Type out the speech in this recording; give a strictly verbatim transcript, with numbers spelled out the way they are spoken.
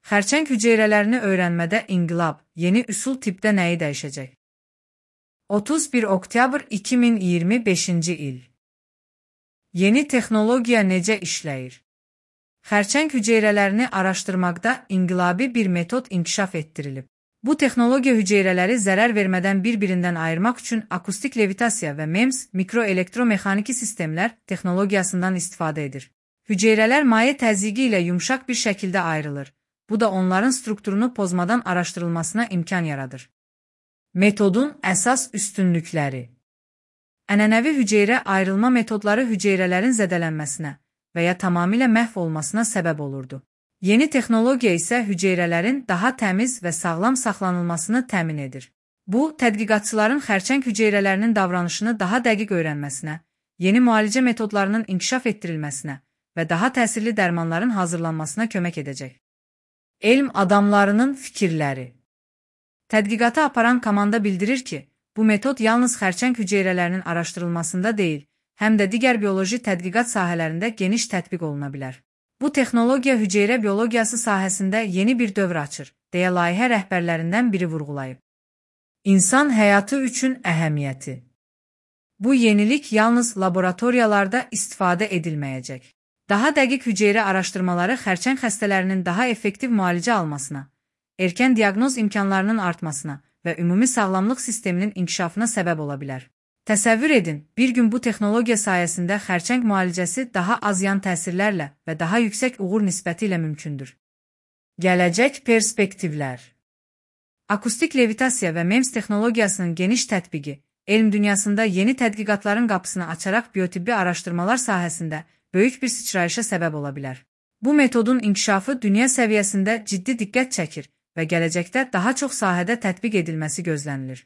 Xərçəng hüceyrələrini öyrənmədə inqilab, yeni üsul tippdə nəyi dəyişəcək? otuz bir oktyabr iki min iyirmi beşinci il. Yeni texnologiya necə işləyir? Xərçəng hüceyrələrini araşdırmaqda inqilabi bir metod inkişaf etdirilib. Bu texnologiya hüceyrələri zərər vermədən bir-birindən ayırmaq üçün akustik levitasiya və MEMS mikroelektromexaniki sistemlər texnologiyasından istifadə edir. Hüceyrələr maye təzyiqi ilə yumşaq bir şəkildə ayrılır. Bu da onların strukturunu pozmadan araşdırılmasına imkan yaradır. Metodun əsas üstünlükləri. Ənənəvi hüceyrə ayrılma metodları hüceyrələrin zədələnməsinə və ya tamamilə məhv olmasına səbəb olurdu. Yeni texnologiya isə hüceyrələrin daha təmiz və sağlam saxlanılmasını təmin edir. Bu, tədqiqatçıların xərçəng hüceyrələrinin davranışını daha dəqiq öyrənməsinə, yeni müalicə metodlarının inkişaf etdirilməsinə və daha təsirli dərmanların hazırlanmasına kömək edəcək. Elm adamlarının fikirləri. Tədqiqatı aparan komanda bildirir ki, bu metod yalnız xərçəng hüceyrələrinin araşdırılmasında deyil, həm də digər bioloji tədqiqat sahələrində geniş tətbiq oluna bilər. Bu texnologiya hüceyrə biologiyası sahəsində yeni bir dövr açır, deyə layihə rəhbərlərindən biri vurğulayıb. İnsan həyatı üçün əhəmiyyəti. Bu yenilik yalnız laboratoriyalarda istifadə edilməyəcək. Daha dəqiq hüceyrə araşdırmaları xərçəng xəstələrinin daha effektiv müalicə almasına, erkən diaqnoz imkanlarının artmasına və ümumi sağlamlıq sisteminin inkişafına səbəb ola bilər. Təsəvvür edin, bir gün bu texnologiya sayəsində xərçəng müalicəsi daha az yan təsirlərlə və daha yüksək uğur nisbəti ilə mümkündür. Gələcək perspektivlər. Akustik levitasiya və MEMS texnologiyasının geniş tətbiqi, elm dünyasında yeni tədqiqatların qapısını açaraq biotibbi araşdırmalar sahəsində böyük bir sıçrayışa səbəb ola bilər. Bu metodun inkişafı dünya səviyyəsində ciddi diqqət çəkir və gələcəkdə daha çox sahədə tətbiq edilməsi gözlənilir.